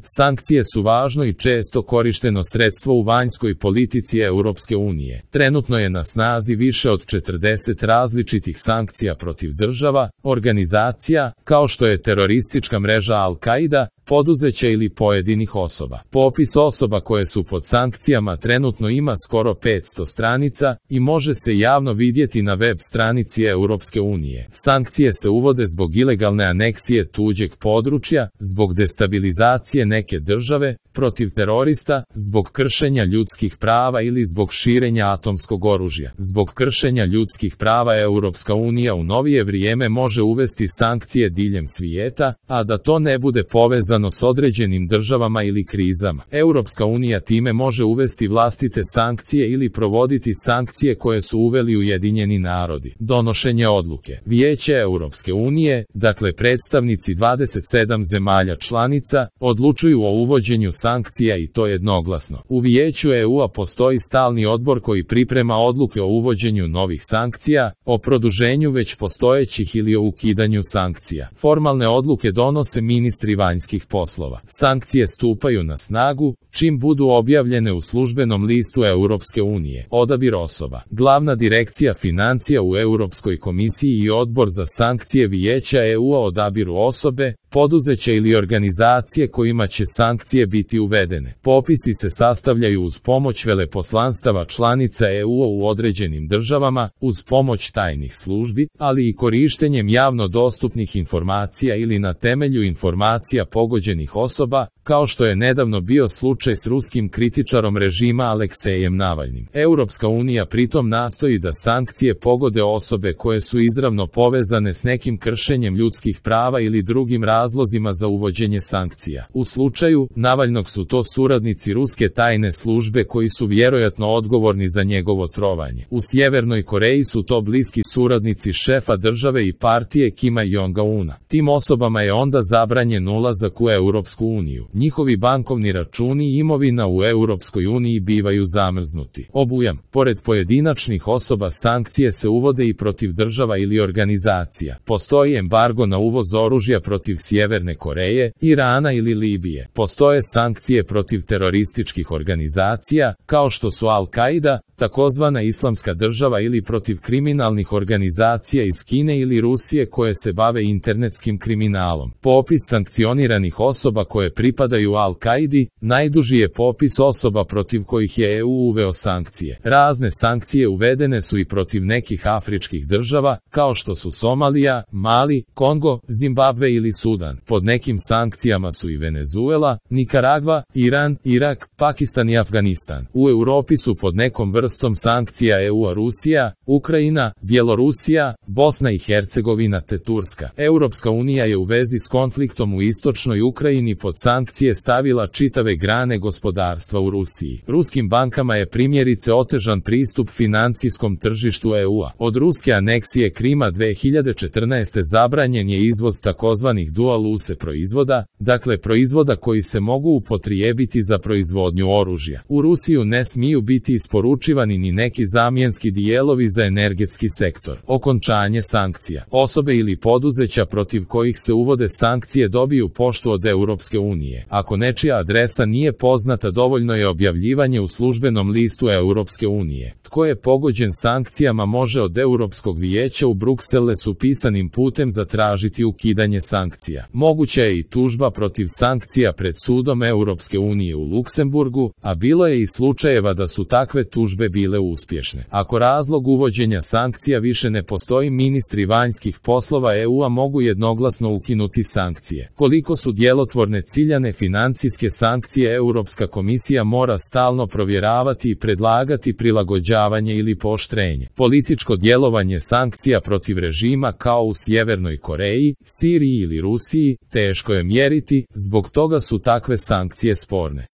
Sankcije su važno i često korišteno sredstvo u vanjskoj politici Europske unije. Trenutno je na snazi više od 40 različitih sankcija protiv država, organizacija, kao što je teroristička mreža Al-Qaida, poduzeća ili pojedinih osoba. Popis osoba koje su pod sankcijama trenutno ima skoro 500 stranica i može se javno vidjeti na web stranici Europske unije. Sankcije se uvode zbog ilegalne aneksije tuđeg područja, zbog destabilizacije neke države, protiv terorista, zbog kršenja ljudskih prava ili zbog širenja atomskog oružja. Zbog kršenja ljudskih prava Europska unija u novije vrijeme može uvesti sankcije diljem svijeta, a da to ne bude povezano s određenim državama ili krizama. Europska unija time može uvesti vlastite sankcije ili provoditi sankcije koje su uveli Ujedinjeni narodi. Donošenje odluke. Vijeće Europske unije, dakle predstavnici 27 zemalja članica, odlučuju o uvođenju sankcija i to jednoglasno. U Vijeću EU-a postoji stalni odbor koji priprema odluke o uvođenju novih sankcija, o produženju već postojećih ili o ukidanju sankcija. Formalne odluke donose ministri vanjskih poslova. Sankcije stupaju na snagu čim budu objavljene u službenom listu Europske unije. Odabir osoba. Glavna direkcija financija u Europskoj komisiji i odbor za sankcije Vijeća EU-a odabiru osobe, poduzeća ili organizacije kojima će sankcije biti uvedene. Popisi se sastavljaju uz pomoć veleposlanstava članica EU-a u određenim državama, uz pomoć tajnih službi, ali i korištenjem javno dostupnih informacija ili na temelju informacija pogođenih osoba, kao što je nedavno bio slučaj s ruskim kritičarom režima Aleksejem Navalnim. Europska unija pritom nastoji da sankcije pogode osobe koje su izravno povezane s nekim kršenjem ljudskih prava ili drugim razlozima za uvođenje sankcija. U slučaju Navalnog su to suradnici ruske tajne službe koji su vjerojatno odgovorni za njegovo trovanje. U Sjevernoj Koreji su to bliski suradnici šefa države i partije Kima Jong-una. Tim osobama je onda zabranjen ulazak u Europsku uniju. Njihovi bankovni računi i imovina u Europskoj uniji bivaju zamrznuti. Obujam. Pored pojedinačnih osoba sankcije se uvode i protiv država ili organizacija. Postoji embargo na uvoz oružja protiv Sjeverne Koreje, Irana ili Libije. Postoje sankcije protiv terorističkih organizacija, kao što su Al-Qaida, takozvana Islamska država ili protiv kriminalnih organizacija iz Kine ili Rusije koje se bave internetskim kriminalom. Popis sankcioniranih osoba koje pripadaju Al-Qaidi, najduži je popis osoba protiv kojih je EU uveo sankcije. Razne sankcije uvedene su i protiv nekih afričkih država, kao što su Somalija, Mali, Kongo, Zimbabve ili Sudan. Pod nekim sankcijama su i Venezuela, Nikaragva, Iran, Irak, Pakistan i Afganistan. U Europi su pod nekom vrstom sankcija EU-a Rusija, Ukrajina, Bjelorusija, Bosna i Hercegovina te Turska. Europska unija je u vezi s konfliktom u istočnoj Ukrajini pod sankcije stavila čitave grane gospodarstva u Rusiji. Ruskim bankama je primjerice otežan pristup financijskom tržištu EU-a. Od ruske aneksije Krima 2014. zabranjen je izvoz takozvanih dual use proizvoda, dakle proizvoda koji se mogu upotrijebiti za proizvodnju oružja. U Rusiju ne smiju biti isporučivani ni neki zamjenski dijelovi za energetski sektor. Okončanje sankcija. Osobe ili poduzeća protiv kojih se uvode sankcije dobiju poštu od Europske unije. Ako nečija adresa nije poznata, dovoljno je objavljivanje u službenom listu Europske unije. Tko je pogođen sankcijama može od Europskog vijeća u Brukselesu pisanim putem zatražiti ukidanje sankcija. Moguća je i tužba protiv sankcija pred sudom Europske unije u Luksemburgu, a bilo je i slučajeva da su takve tužbe bile uspješne. Ako razlog uvođenja sankcija više ne postoji, ministri vanjskih poslova EU-a mogu jednoglasno ukinuti sankcije. Koliko su djelotvorne ciljane financijske sankcije, Europska komisija mora stalno provjeravati i predlagati prilagođavanje ili pooštrenje. Političko djelovanje sankcija protiv režima kao u Sjevernoj Koreji, Siriji ili Rusiji teško je mjeriti, zbog toga su takve sankcije sporne.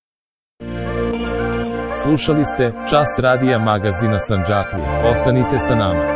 Slušali ste Čas radija magazina Sandžaklije. Ostanite sa nama.